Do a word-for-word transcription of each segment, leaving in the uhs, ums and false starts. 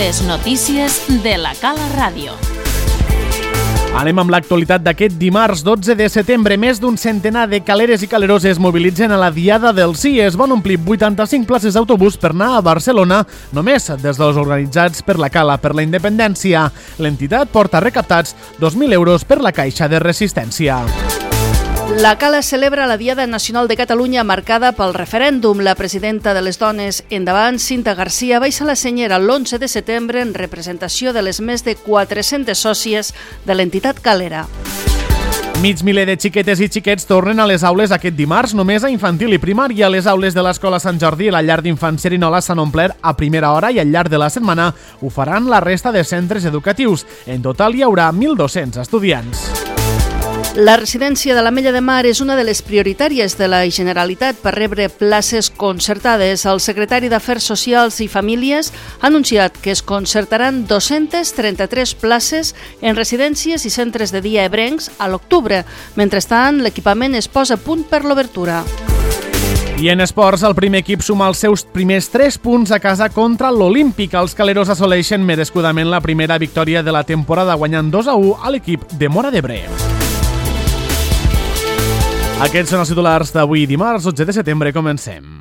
Les notícies de la Cala Ràdio. Anem amb l'actualitat d'aquest dimarts dotze de setembre. Més d'un centenar de caleres i calerós es mobilitzen a la Diada del Sí. Es van omplir vuitanta-cinc places d'autobús per anar a Barcelona, només des dels organitzats per la Cala per la Independència. L'entitat porta recaptats dos mil euros per la Caixa de Resistència. La Cala celebra la Diada Nacional de Catalunya marcada pel referèndum. La presidenta de les Dones Endavant, Cinta Garcia, va eixir la senyera l'onze de setembre en representació de les més de quatre-centes sòcies de l'entitat calera. Mig miler de xiquetes i xiquets tornen a les aules aquest dimarts, només a infantil i primària. Les aules de l'Escola Sant Jordi i la llar d'infants Cerinola s'han omplert a primera hora i al llarg de la setmana ho faran la resta de centres educatius. En total hi haurà mil dos-cents estudiants. La residència de l'Ametlla de Mar és una de les prioritàries de la Generalitat per rebre places concertades. El secretari d'Afers Socials i Famílies ha anunciat que es concertaran dos-centes trenta-tres places en residències i centres de dia ebrencs a l'octubre. Mentrestant, l'equipament es posa a punt per l'obertura. I en esports, el primer equip suma els seus primers tres punts a casa contra l'Olímpic. Els caleros assoleixen merescudament la primera victòria de la temporada, guanyant dos a u a l'equip de Móra d'Ebre. Aquests són els titulars d'avui, dimarts dotze de setembre. Comencem.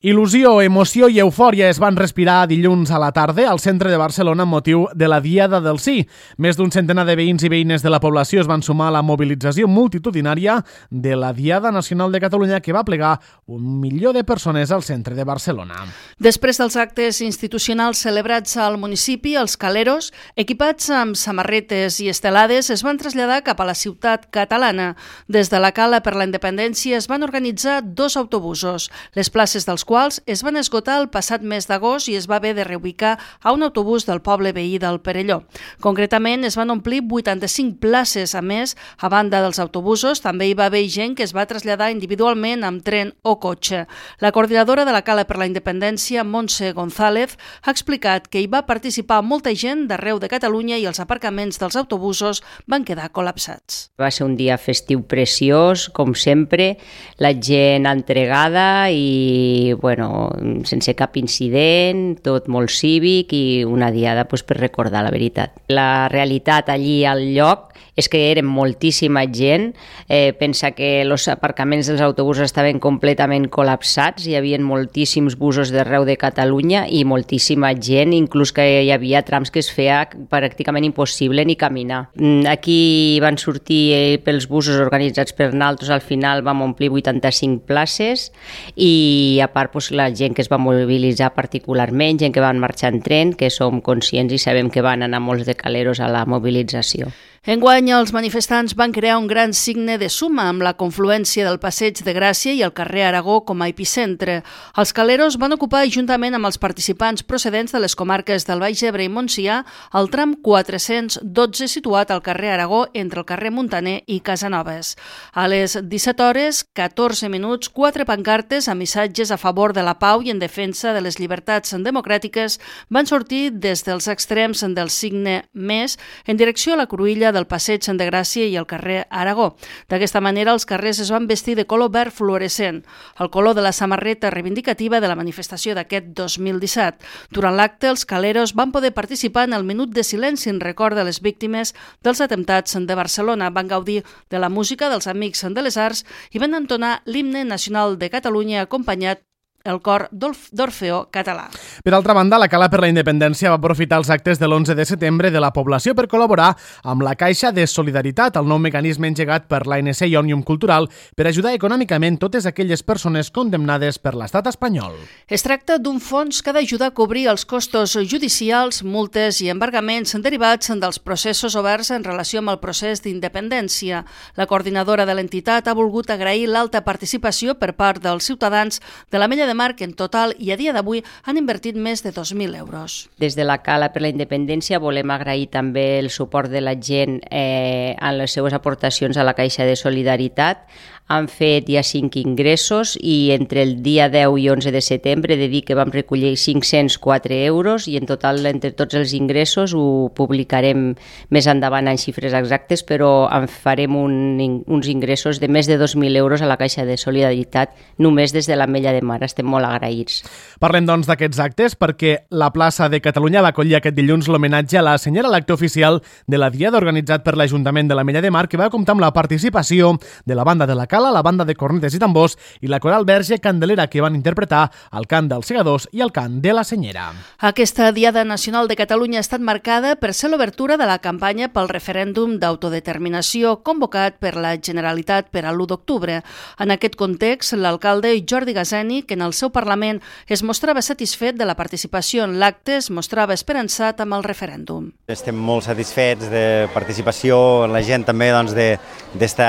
Il·lusió, emoció i eufòria es van respirar dilluns a la tarda al centre de Barcelona amb motiu de la Diada del Sí. Més d'un centenar de veïns i veïnes de la població es van sumar a la mobilització multitudinària de la Diada Nacional de Catalunya, que va plegar un milió de persones al centre de Barcelona. Després dels actes institucionals celebrats al municipi, els caleros, equipats amb samarretes i estelades, es van traslladar cap a la ciutat catalana. Des de la Cala per la Independència es van organitzar dos autobusos, les places dels quals es van esgotar el passat mes d'agost i es va haver de reubicar a un autobús del poble veí del Perelló. Concretament, es van omplir vuitanta-cinc places. A més, a banda dels autobusos, també hi va haver gent que es va traslladar individualment amb tren o cotxe. La coordinadora de la Cala per la Independència, Montse González, ha explicat que hi va participar molta gent d'arreu de Catalunya i els aparcaments dels autobusos van quedar col·lapsats. Va ser un dia festiu preciós, com sempre, la gent entregada i bueno, sense cap incident, tot molt cívic i una diada pues, per recordar la veritat. La realitat allí al lloc és que eren moltíssima gent. Eh, pensa que els aparcaments dels autobusos estaven completament col·lapsats, hi havia moltíssims busos d'arreu de Catalunya i moltíssima gent, inclús que hi havia trams que es feia pràcticament impossible ni caminar. Aquí van sortir eh, pels busos organitzats per nosaltres, al final vam omplir vuitanta-cinc places i a part pues, la gent que es va mobilitzar particularment, gent que van marxar en tren, que som conscients i sabem que van anar molts de caleros a la mobilització. Enguany, els manifestants van crear un gran signe de suma amb la confluència del Passeig de Gràcia i el carrer Aragó com a epicentre. Els caleros van ocupar, juntament amb els participants procedents de les comarques del Baix Ebre i Montsià, el tram quatre-cents dotze situat al carrer Aragó entre el carrer Muntaner i Casanovas. A les disset hores, catorze minuts, quatre pancartes amb missatges a favor de la pau i en defensa de les llibertats democràtiques van sortir des dels extrems del signe més en direcció a la cruïlla del Passeig de Gràcia i el carrer Aragó. D'aquesta manera, els carrers es van vestir de color verd fluorescent, el color de la samarreta reivindicativa de la manifestació d'aquest dos mil disset. Durant l'acte, els caleros van poder participar en el minut de silenci en record de les víctimes dels atemptats de Barcelona. Van gaudir de la música dels Amics de les Arts i van entonar l'himne nacional de Catalunya acompanyat el cor d'Orfeó Català. Per altra banda, la Cala per la Independència va aprofitar els actes de l'onze de setembre de la població per col·laborar amb la Caixa de Solidaritat, el nou mecanisme engegat per l'A N C i Òmnium Cultural per ajudar econòmicament totes aquelles persones condemnades per l'estat espanyol. Es tracta d'un fons que ha d'ajudar a cobrir els costos judicials, multes i embargaments derivats dels processos oberts en relació amb el procés d'independència. La coordinadora de l'entitat ha volgut agrair l'alta participació per part dels ciutadans de l'Ametlla de Mar, que en total i a dia d'avui han invertit més de dos mil euros. Des de la Cala per la Independència volem agrair també el suport de la gent eh, en les seues aportacions a la Caixa de Solidaritat. han fet ja cinc ingressos i entre el dia deu i onze de setembre he de dir que vam recollir cinc-cents quatre euros i en total entre tots els ingressos ho publicarem més endavant en xifres exactes, però en farem un, uns ingressos de més de dos mil euros a la Caixa de Solidaritat només des de l'Ametlla de Mar. Estem molt agraïts. Parlem doncs d'aquests actes perquè la plaça de Catalunya va acollir aquest dilluns l'homenatge a la senyora, l'acte oficial de la Diada organitzat per l'Ajuntament de l'Ametlla de Mar, que va comptar amb la participació de la banda de la Cala, la banda de cornetes i tambors i la coral Verge Candelera, que van interpretar el cant dels segadors i el cant de la senyera. Aquesta Diada Nacional de Catalunya ha estat marcada per ser l'obertura de la campanya pel referèndum d'autodeterminació convocat per la Generalitat per a l'u d'octubre. En aquest context, l'alcalde Jordi Gazeni, que en el seu Parlament es mostrava satisfet de la participació en l'acte, es mostrava esperançat amb el referèndum. Estem molt satisfets de participació en la gent també doncs, d'esta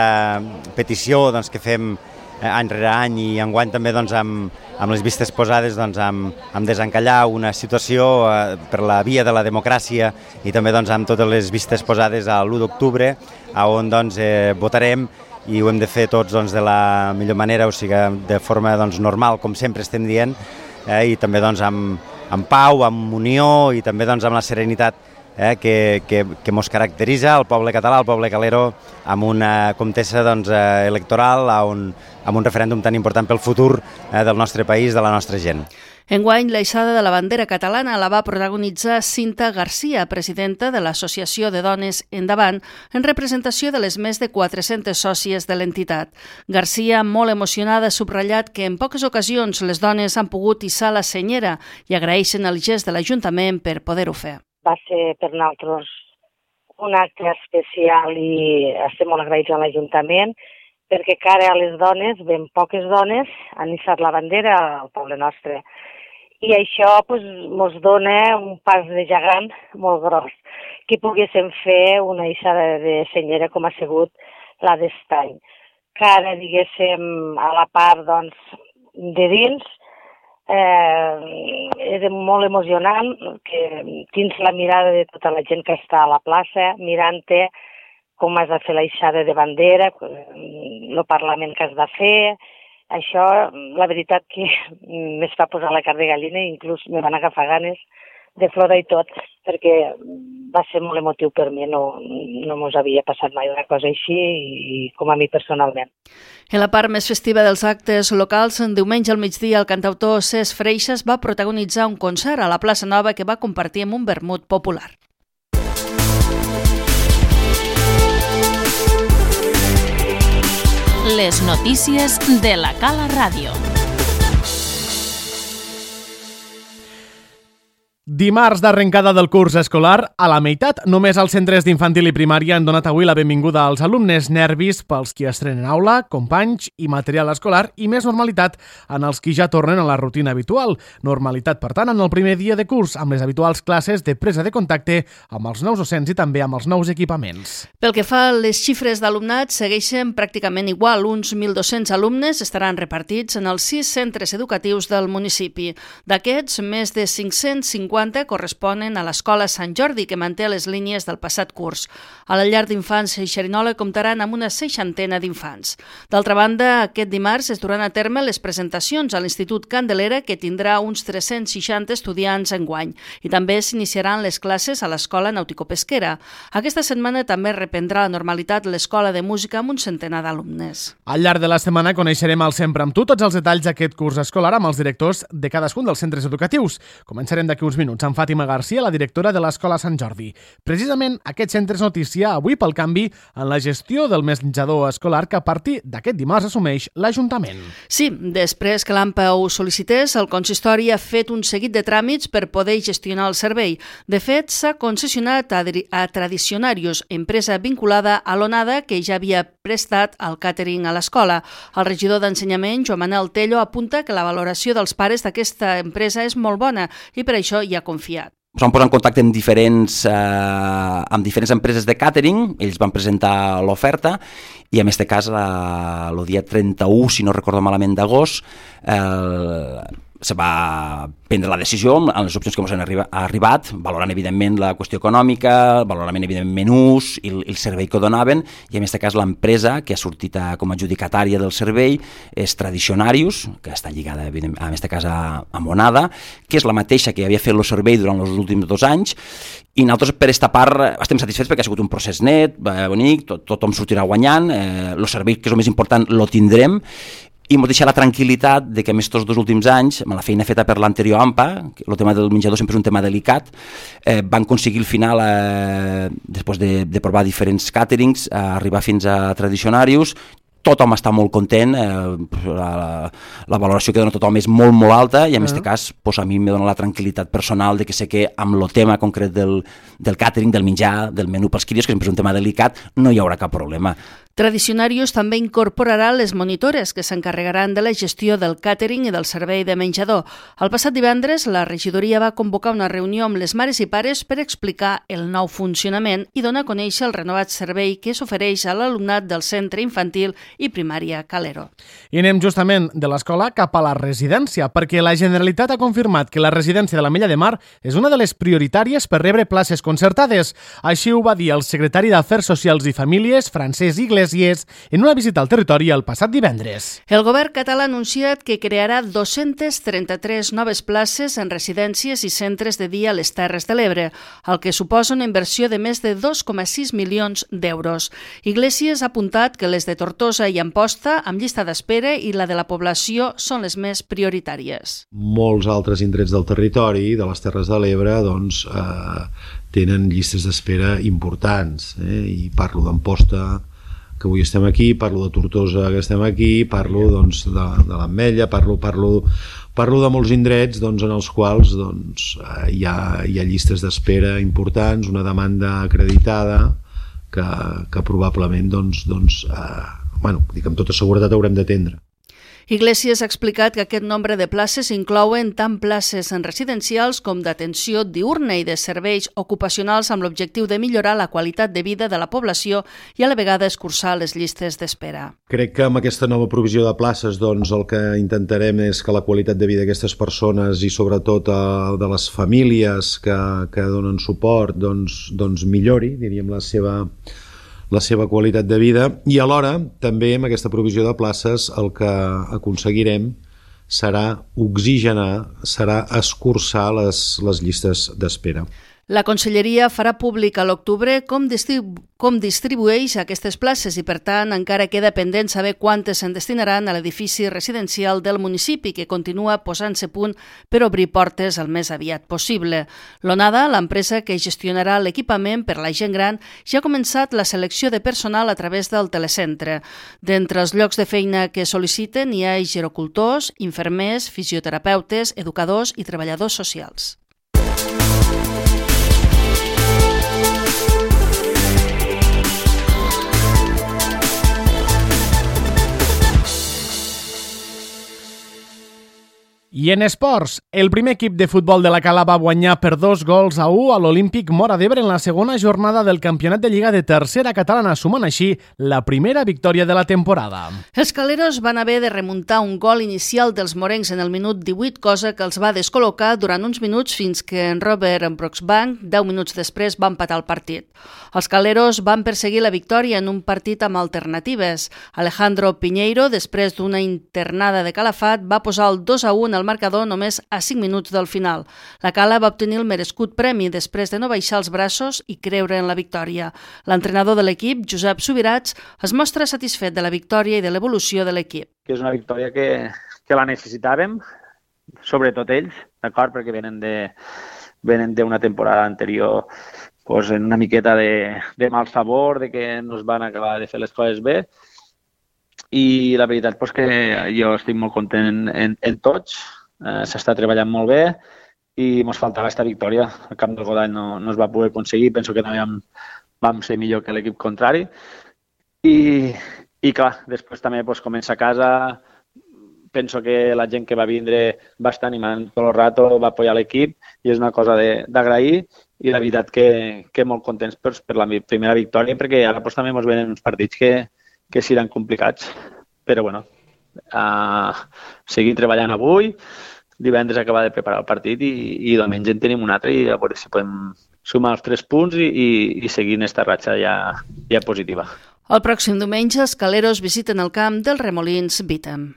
petició doncs, que fem any rere any i enguany també doncs, amb, amb les vistes posades doncs, amb, amb desencallar una situació eh, per la via de la democràcia i també doncs, amb totes les vistes posades a l'u d'octubre, on doncs, eh, votarem i ho hem de fer tots doncs, de la millor manera, o sigui, de forma doncs, normal, com sempre estem dient, eh, i també doncs, amb, amb pau, amb unió i també doncs, amb la serenitat Eh, que, que, que mos caracteritza el poble català, el poble calero, amb una contesa doncs, eh, electoral, on, amb un referèndum tan important pel futur eh, del nostre país, de la nostra gent. Enguany, l'aixada de la bandera catalana la va protagonitzar Cinta Garcia, presidenta de l'Associació de Dones Endavant, en representació de les més de quatre-centes sòcies de l'entitat. Garcia, molt emocionada, ha subratllat que en poques ocasions les dones han pogut hissar la senyera i agraeixen el gest de l'Ajuntament per poder-ho fer. Va ser per nosaltres un acte especial i estem molt agraïts a l'Ajuntament perquè cara a les dones, ben poques dones, han hissat la bandera al poble nostre. I això pues, mos dona un pas de gegant molt gros, que poguéssim fer una hissada de senyera com ha sigut la d'estany. Cara, diguéssim, a la part doncs, de dins, Eh, era molt emocionant que tens la mirada de tota la gent que està a la plaça mirant-te com has de fer l'aixada de bandera, el Parlament que has de fer. Això, la veritat que m'es fa posar la carn de gallina i inclús me van agafar ganes de plorar i tot, perquè va ser molt emotiu per mi, no, no mos havia passat mai una cosa així i com a mi personalment. En la part més festiva dels actes locals, en diumenge al migdia el cantautor Cesc Freixas va protagonitzar un concert a la plaça Nova que va compartir amb un vermut popular. Les notícies de la Cala Ràdio. Dimarts d'arrencada del curs escolar, a la meitat, només els centres d'infantil i primària han donat avui la benvinguda als alumnes, nervis pels qui estrenen aula, companys i material escolar i més normalitat en els qui ja tornen a la rutina habitual. Normalitat, per tant, en el primer dia de curs, amb les habituals classes de presa de contacte amb els nous docents i també amb els nous equipaments. Pel que fa a les xifres d'alumnat, segueixen pràcticament igual. Uns mil dos-cents alumnes estaran repartits en els sis centres educatius del municipi. D'aquests, més de cinc-cents cinquanta corresponen a l'Escola Sant Jordi, que manté les línies del passat curs. A la llar d'infants Xerinola comptaran amb una seixantena d'infants. D'altra banda, aquest dimarts es duran a terme les presentacions a l'Institut Candelera, que tindrà uns tres-cents seixanta estudiants enguany, i també s'iniciaran les classes a l'Escola Nàutico-Pesquera. Aquesta setmana també reprendrà la normalitat l'Escola de Música amb un centenar d'alumnes. Al llarg de la setmana coneixerem al Sempre amb tu tots els detalls d'aquest curs escolar amb els directors de cadascun dels centres educatius. Començarem d'aquí uns minuts amb Fàtima Garcia, la directora de l'Escola Sant Jordi. Precisament aquest centre és notícia avui pel canvi en la gestió del menjador escolar que a partir d'aquest dimarts assumeix l'Ajuntament. Sí, després que l'A M P A ho sol·licités, el consistori ha fet un seguit de tràmits per poder gestionar el servei. De fet, s'ha concessionat a, a Tradicionarius, empresa vinculada a l'Onada, que ja havia prestat el càtering a l'escola. El regidor d'Ensenyament, Joan Manel Tello, apunta que la valoració dels pares d'aquesta empresa és molt bona i per això hi ha confiat. Ens vam posar en contacte amb diferents, eh, amb diferents empreses de càtering, ells van presentar l'oferta i en aquest cas el dia trenta-u, si no recordo malament, d'agost, eh, se va prendre la decisió amb les opcions que ens han arribat, valorant evidentment la qüestió econòmica, valorant evidentment menús i el servei que donaven, i en aquest cas l'empresa que ha sortit com a adjudicatària del servei és Tradicionarius, que està lligada en aquest cas a, a Monada, que és la mateixa que havia fet el servei durant els últims dos anys, i nosaltres per esta part estem satisfets perquè ha sigut un procés net, bonic, tot, tothom sortirà guanyant, eh, el servei que és el més important lo tindrem, i ens deixa la tranquil·litat de que més tots dos últims anys, amb la feina feta per l'anterior AMPA, el tema del menjador sempre és un tema delicat, eh, van aconseguir al final, eh, després de, de provar diferents càterings, eh, arribar fins a Tradicionarius. Tothom està molt content, eh, la, la valoració que dona tothom és molt, molt alta, i en aquest uh-huh. cas pues, a mi em dona la tranquil·litat personal de que sé que amb el tema concret del, del càtering, del menjar, del menú pels crios, que sempre és un tema delicat, no hi haurà cap problema. Tradicionarius també incorporarà les monitores que s'encarregaran de la gestió del càtering i del servei de menjador. El passat divendres, la regidoria va convocar una reunió amb les mares i pares per explicar el nou funcionament i donar a conèixer el renovat servei que s'ofereix a l'alumnat del centre infantil i primària Calero. I anem justament de l'escola cap a la residència, perquè la Generalitat ha confirmat que la residència de l'Ametlla de Mar és una de les prioritàries per rebre places concertades. Així ho va dir el secretari d'Afers Socials i Famílies, Francesc Iglesias, en una visita al territori el passat divendres. El govern català ha anunciat que crearà dos-centes trenta-tres noves places en residències i centres de dia a les Terres de l'Ebre, el que suposa una inversió de més de dos coma sis milions d'euros. Iglesias ha apuntat que les de Tortosa i Amposta, amb llista d'espera, i la de la població són les més prioritàries. Molts altres indrets del territori, de les Terres de l'Ebre, doncs, eh, tenen llistes d'espera importants. Eh? I parlo d'Amposta, que avui estem aquí, parlo de Tortosa, que estem aquí, parlo doncs, de, de l'Ametlla, parlo, parlo, parlo de molts indrets doncs, en els quals doncs, eh, hi, ha, hi ha llistes d'espera importants, una demanda acreditada que, que probablement doncs, doncs, eh, bueno, dic, amb tota seguretat haurem d'atendre. Iglesias ha explicat que aquest nombre de places inclouen tant places en residencials com d'atenció diurna i de serveis ocupacionals amb l'objectiu de millorar la qualitat de vida de la població i a la vegada escurçar les llistes d'espera. Crec que amb aquesta nova provisió de places doncs, el que intentarem és que la qualitat de vida d'aquestes persones i sobretot de les famílies que, que donen suport doncs, doncs millori, diríem, la seva la seva qualitat de vida, i alhora també amb aquesta provisió de places el que aconseguirem serà oxigenar, serà escurçar les, les llistes d'espera. La Conselleria farà públic a l'octubre com, distribu com distribueix aquestes places i, per tant, encara queda pendent saber quantes se'n destinaran a l'edifici residencial del municipi, que continua posant-se a punt per obrir portes el més aviat possible. L'Onada, l'empresa que gestionarà l'equipament per la gent gran, ja ha començat la selecció de personal a través del telecentre. D'entre els llocs de feina que sol·liciten hi ha gerocultors, infermers, fisioterapeutes, educadors i treballadors socials. I en esports, el primer equip de futbol de la Cala va guanyar per dos gols a u a l'Olímpic Móra d'Ebre en la segona jornada del Campionat de Lliga de Tercera Catalana, sumant així la primera victòria de la temporada. Els caleros van haver de remuntar un gol inicial dels morencs en el minut divuit, cosa que els va descol·locar durant uns minuts fins que en Robert Broxbank, deu minuts després, va empatar el partit. Els caleros van perseguir la victòria en un partit amb alternatives. Alejandro Piñeiro, després d'una internada de Calafat, va posar el dos a u al marcador només a cinc minuts del final. La Cala va obtenir el merescut premi després de no baixar els braços i creure en la victòria. L'entrenador de l'equip, Josep Subirats, es mostra satisfet de la victòria i de l'evolució de l'equip. Que és una victòria que, que la necessitàvem, sobretot ells, d'acord, perquè venen de venen d'una temporada anterior pues, en una miqueta de, de mal sabor, de que no es van acabar de fer les coses bé. I la veritat és pues, que jo estic molt content en, en, en tots, eh, s'està treballant molt bé i ens faltava aquesta victòria. El camp del Godall no, no es va poder aconseguir, penso que també vam, vam ser millor que l'equip contrari. I, i clar, després també pues, comença a casa, penso que la gent que va vindre va estar animant tot el rato, va apoyar l'equip i és una cosa d'agrair i la veritat que, que molt contents per, per la primera victòria perquè ara pues, també ens venen uns partits que que seran complicats, però bueno, uh, seguir treballant avui, divendres acabar de preparar el partit i, i diumenge en tenim un altre i a veure si podem sumar els tres punts i, i, i seguir en esta ratxa ja, ja positiva. El pròxim diumenge, els Caleros visiten el camp dels Remolins Bítem.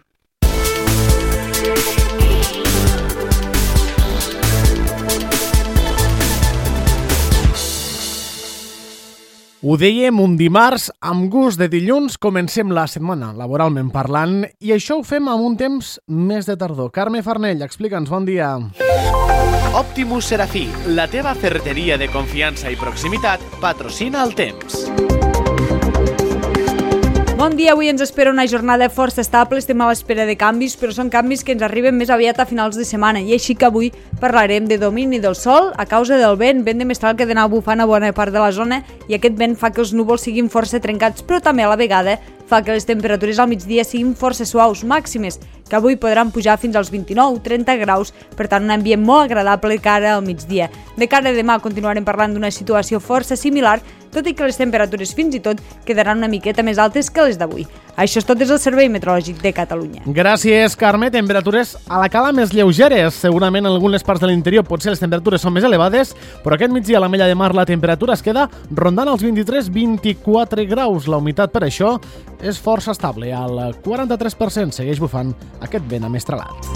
Ho dèiem un dimarts, amb gust de dilluns, comencem la setmana, laboralment parlant, i això ho fem amb un temps més de tardor. Carme Farnell, explica'ns, bon dia. Optimus Serafí, la teva ferreteria de confiança i proximitat, patrocina el temps. Bon dia, avui ens espera una jornada força estable, estem a l'espera de canvis, però són canvis que ens arriben més aviat a finals de setmana, i així que avui parlarem de domini del sol a causa del vent, vent de mestral que d'anar bufant a bona part de la zona, i aquest vent fa que els núvols siguin força trencats, però també a la vegada fa que les temperatures al migdia siguin força suaus, màximes, que avui podran pujar fins als vint-i-nou a trenta graus, per tant un ambient molt agradable cara al migdia. De cara a demà continuarem parlant d'una situació força similar, tot i que les temperatures fins i tot quedaran una miqueta més altes que les d'avui. Això és tot des del Servei Meteorològic de Catalunya. Gràcies, Carme. Temperatures a la cala més lleugeres. Segurament en algunes parts de l'interior potser les temperatures són més elevades, però aquest migdia a la Mella de Mar la temperatura es queda rondant els vint-i-tres a vint-i-quatre graus. La humitat per això és força estable. Al quaranta-tres per cent segueix bufant aquest vent amestralat.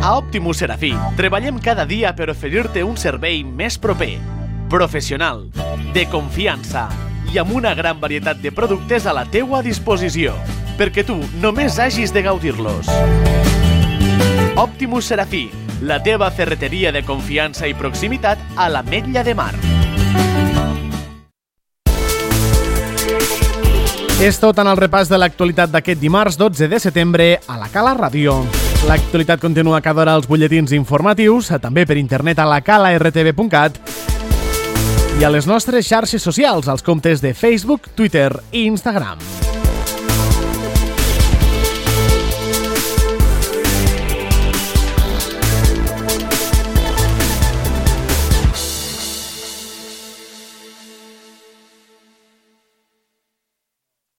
A Optimus Serafí treballem cada dia per oferir-te un servei més proper, professional, de confiança i amb una gran varietat de productes a la teua disposició, perquè tu només hagis de gaudir-los. Optimus Serafí, la teva ferreteria de confiança i proximitat a l'Ametlla de Mar. És tot en el repàs de l'actualitat d'aquest dimarts dotze de setembre a la Cala Ràdio. L'actualitat continua cada hora als butlletins informatius, també per internet a la cala r t v punt cat i a les nostres xarxes socials, als comptes de Facebook, Twitter i Instagram.